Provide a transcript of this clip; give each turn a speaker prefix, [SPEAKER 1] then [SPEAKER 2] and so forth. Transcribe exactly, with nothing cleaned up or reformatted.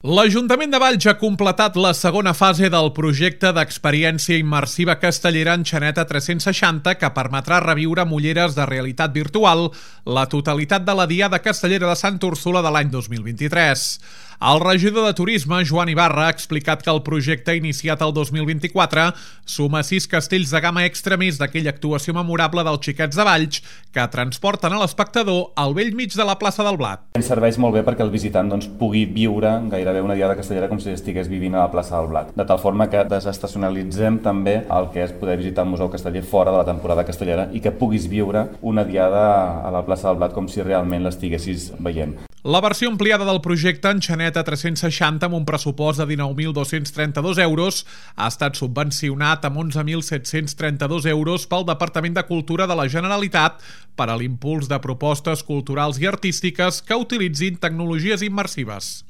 [SPEAKER 1] L'Ajuntament de Valls ha completat la segona fase del projecte d'experiència immersiva castellera en Xaneta tres-cents seixanta que permetrà reviure amb ulleres de realitat virtual la totalitat de la Diada Castellera de Santa Úrsula de l'any dos mil vint-i-tres. El regidor de Turisme, Joan Ibarra, ha explicat que el projecte iniciat el dos mil vint-i-quatre suma sis castells de gamma extra més d'aquella actuació memorable dels Xiquets de Valls que transporten a l'espectador al bell mig de la plaça del Blat.
[SPEAKER 2] Ens serveix molt bé perquè el visitant doncs, pugui viure gairebé una Diada Castellera com si estigués vivint a la plaça del Blat, de tal forma que desestacionalitzem també el que és poder visitar el Museu Casteller fora de la temporada castellera i que puguis viure una Diada a la plaça del Blat com si realment l'estiguessis veient.
[SPEAKER 1] La versió ampliada del projecte en Xaneta tres-cents seixanta amb un pressupost de dinou mil dos-cents trenta-dos euros ha estat subvencionat amb onze mil set-cents trenta-dos euros pel Departament de Cultura de la Generalitat per a l'impuls de propostes culturals i artístiques que utilitzin tecnologies immersives.